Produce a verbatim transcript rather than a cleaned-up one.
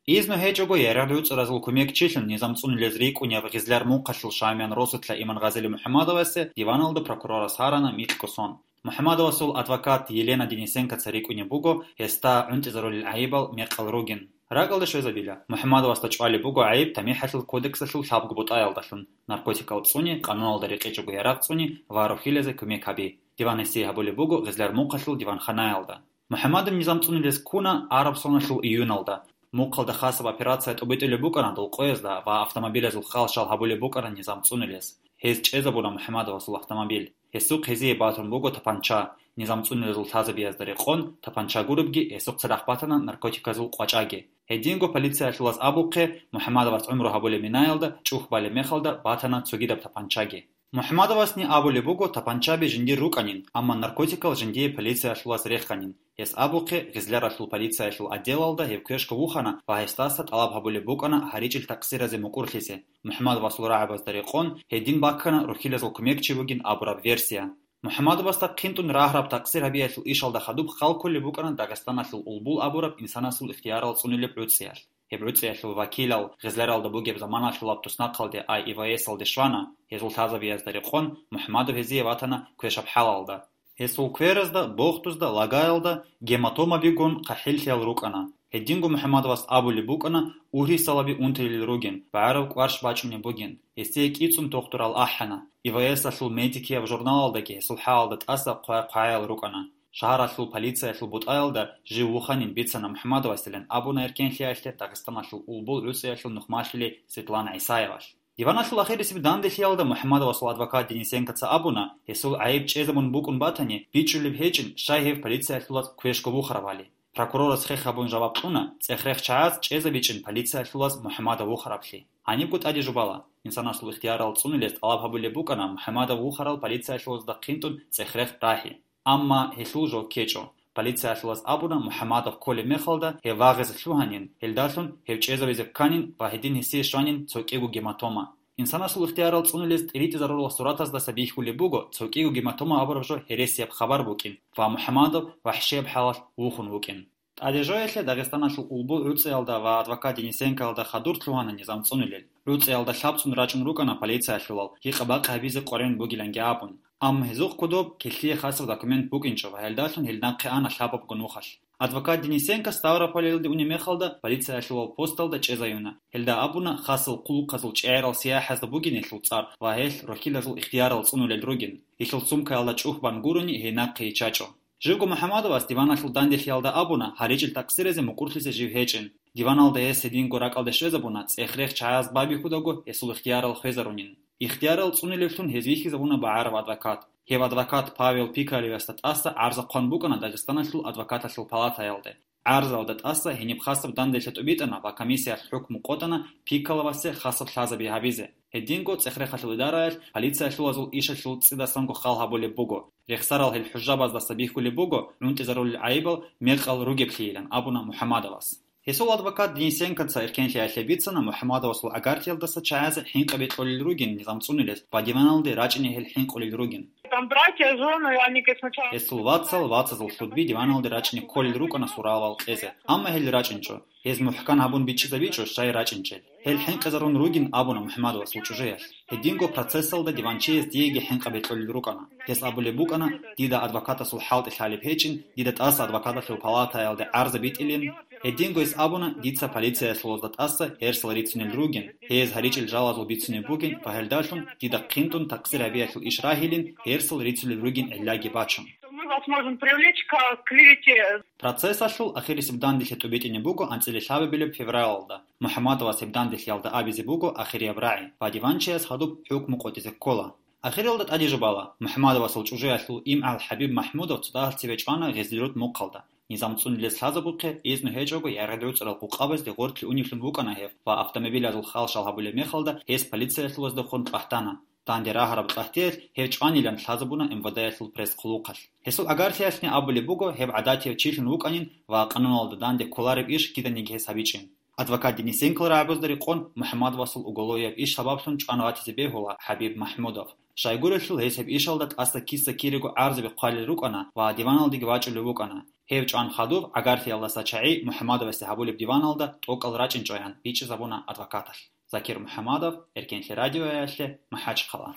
Изну гьечӀого ярагъ-гӀуцӀаразул кумекчилъун низам цӀунулез рикӀкӀунеб Гъизляр мухъалъул Шамиян росулъа Иман Гъазили МухӀамадовасе диваналда прокурорас гьарана микьго сон. МухӀамадовасул адвокат Елена Денисенкоца рикӀкӀунеб буго гьесда гӀунтӀизарулел гӀайибал мекъал ругин. РакӀалде щвезабила, МухӀамадовасда чӀвалеб буго гӀайиб ТамихӀалъул кодексалъул лъабго бутӀаялдалъун: наркотикал цӀуни, къануналда рекъечӀого ярагъ цӀуни ва рохьилазе кумек гьаби. Диван гьесие гьабулеб буго Гъизляр мухъалъул диванханаялда. МухӀамадов низам цӀунулес ккуна араб соналъул июналда. Мухъалда хасаб операция тӀубитӀулеб букӀана дулкъоязда ва автомобилазул хал-шал гьабулеб букӀана низам цӀунулес. Гьез чӀезабуна МухӀамадовасул автомобиль. Гьесухъ гьезие батун буго тапанча. Низам цӀунулезул лъазабиязда рекъон тапанча гуребги, гьесухъ цадахъ батана наркотиказул къвачӀаги. Гьединго полициялъулаз абухъе, МухӀамадовас гӀумру гьабулеб минаялда чӀухь балеб мехалда батана цогидаб тапанчаги. МухӀамадовасни абулеб буго тапанчаби жиндир рукӀанин, амма наркотикал жиндие полициялъулаз реханин. Гьес абухъе, Гъизляралъул полициялъул отделалда гьев квешго вухана ва гьесдаса тӀалаб гьабулеб букӀана гьаричӀил такъсиразе мукӀурлъизе. МухӀамадовасул рагӀабазда рекъон, гьедин баккана рохьилазул кумекчи вугин абураб версия. МухӀамадовасда хъинтӀун рагьараб такъсир гьабиялъул ишалда хадуб хал кколеб букӀана Дагъистаналъул Улбул абураб инсанасул ихтиярал цӀунулеб гӀуцӀиялъ. Гьеб гӀуцӀиялъул вакилал Гъизляралда бугеб заманалъулаб туснахъалде ай И В С-алде щвана, гьезул лъазабиязда рекъон МухӀамадов гьезие ватана квешаб хӀалалда. Гьесул кверазда, бохтузда, лагаялда гематомабигун хъахӀиллъиял рукӀана. Гьединго МухӀамадовас абулеб букӀана ургьисалаби унтилел ругин, багӀараб кӀварш бачӀунеб бугин. Гьесие кӀицӀун тухтурал ахӀана. И В С-алъул медикияб журналалдаги гьесул хӀалалда тӀаса хъвай-хъваял рукӀана. Шагьаралъул полициялъул бутӀаялда жив вуханин бицана МухӀамадовасилан абуна эркенлъиялъе Дагъистаналъул Улбул гӀуцӀиялъул нухмалъули Светлана ГӀисаевалъ. Диваналъул ахирисеб данделъиялда МухӀамадовасул адвокат Денисенкоца абуна, гьесул гӀайиб чӀезабун букӀун батани, бичӀчӀулеб гьечӀин, щай гьев полициялъулаз квешго вухарабали. Прокурорас хех гьабун жаваб кьуна, цӀех-рех чагӀаз чӀезабичӀин полициялъулаз МухӀамадов вухараблъи. Гьанибго тӀаде жубала, инсанасул ихтиярал цӀунулес тӀалаб гьабулеб букӀана МухӀамадов вухарал полициялъулазда хъинтӀун цӀех-рех рагьи. Амма гьелъул жо ккечӀо. Полициялъулаз абуна, МухӀамадов кколеб мехалда гьев вагъизе лъугьанин, гьелдалъун гьев чӀезавизе кканин ва гьедин гьесие щванин цо кӀиго гематома. Инсанасул ихтиярал цӀунулез тӀиритӀизарурал суратаздаса бихьулеб буго цо кӀиго гематома абураб жо гьересияб хабар букӀин ва МухӀамадов вахӀшияб хӀалалъ вухун вукӀин. ТӀадежоялъе Дагъистаналъул Улбул гӀуцӀиялда ва адвокат Денисенкоялда хадур лъугьана низам цӀунулел. ГӀуцӀиялда лъабцӀун рачӀун рукӀана полициялъулал, гьикъа-бакъ гьабизе къваригӀун бугиланги абун. Амма гьезухъ кодоб килъие хасаб документ букӀинчӀо ва гьелдалъун гьел нахъе ана лъабабго нухалъ. Адвокат Денисенко Ставрополалде унеб мехалда полициялъулал посталда чӀезаюна. Гьелда абуна хасал хъулухъазул чӀегӀерал сияхӀазда бугин гьелъул цӀар ва гьелъ рохьилазул ихтиярал цӀунулел ругин. Гьелъул сумкаялда чӀухь бан гурони гьей нахъе йиччачӀо. Живго МухӀамадовас диваналъул данделъиялда абуна гьаричӀил такъсиразе мукӀурлъизе жив гьечӀин. Диваналда гьес гьединго ракӀалде щвезабуна, цӀех-рех чагӀаз байбихьудаго гьесул ихтиярал хвезарунин. Ихтиярал цӀунилевлъун гьез вихьизабуна багӀараб адвокат. Гьев адвокат Павел Пикалевасда тӀаса гӀарза хъван букӀана Дагъистаналъул адвокаталъул палатаялде. ГӀарзаялда тӀаса гьениб хасаб данделъи тӀубитӀана ва комиссиялъ хӀукму къотӀана Пикалевасе хасаб лъазаби гьабизе. Гьединго цӀех-рехалъул идараялъ полициялъулазул ишалъул цӀидасанго хал гьабулеб буго. Рехсарал гьел хӀужабаздаса бихьулеб буго гӀунтӀизарулел гӀайибал мекъал ругеблъийилан абуна МухӀамадовас. Гьесул адвокат Денисенкоца эркенлъиялъе бицана МухӀамадовасул гӀагарлъиялдаса чагӀазе хӀинкъаби кьолел ругин низам цӀунулес ва диваналде рачӀине гьел хӀинкъулел ругин. Там братья, жены, они, говорит, сначала... Гьесул вацал, вацазул лъудби диваналде рачӀине кколел рукӀана суравал кьезе, амма гьел рачӀинчӀо. Гьез мухӀкан гьабун бичӀчӀизабичӀо щай рачӀинчӀел. Гьел хӀинкъизарун ругин абуна МухӀамадовасул чӀужуялъ. Гьединго процессалда диванчияс диеги хӀинкъаби кьолел рукӀана. Гьес абулеб букӀана, дида адвокатасул хӀалтӀи лъалеб гьечӀин, дида тӀаса адвокаталъул палатаялде гӀарза битӀилин. Гьединго гьес абуна, дица полициялъулазда тӀаса гьерсал рицунел ругин, гьез гьаричӀел жалазул бицунеб бугин ва гьелдалъун дида хъинтӀун такъсир гьабиялъул иш рагьилин гьерсал рицулел ругин гӀиллаги бачун. Мы вас можем привлечь к клевете. Процессалъул ахирисеб данделъи тӀубитӀине буго анцӀила лъабабилеб февралалда. МухӀамадовас гьеб данделъиялда абизе буго ахирияб рагӀи ва диванчияс гьадуб хӀукму къотӀизе ккола. Ахиралда тӀаде жубала, МухӀамадовасул чӀужуялъул имгӀал ХӀабиб МахӀмудов цо дагьал цеве чӀвана Гъизлирут мухъалда. Низам цӀунулес лъазабухъе, изну гьечӀого ярагъ-гӀуцӀрал къукъабазде гъорлъе уневлъун вукӀана гьев ва автомобилазул хал-шал гьабулеб мехалда гьес полициялъулаздехун кьвагьтана. Данде рагьараб кьагьтиялъ гьев чӀванилан лъазабуна МВД-ялъул пресс-хъулухъалъ. Гьесул гӀагарлъиялъни абулеб буго гьев гӀадатияв чилъун вукӀанин ва къануналда данде кколареб иш киданиги гьес гьабичӀин. Адвокат Денисенкол рагӀабазда рекъон МухӀаммадовасул уголовияб иш сабаблъун чӀван ватизе бегьула ХӀабиб МахӀмудов. Щайгурелъул гьес гьеб ишалда тӀаса киса-кириго гӀарзаби хъвалел рукӀана ва диваналдеги вачӀулев вукӀана. Гьев чӀван хадуб гӀагарлъиялдаса чагӀи МухӀаммадовасде гьабулеб диваналда тӀокӀал рачӀинчӀоян бичӀчӀизабуна адвокаталъ. Закир МухӀаммадов, Эркенлъи радиоялъе, МахӀачхъала.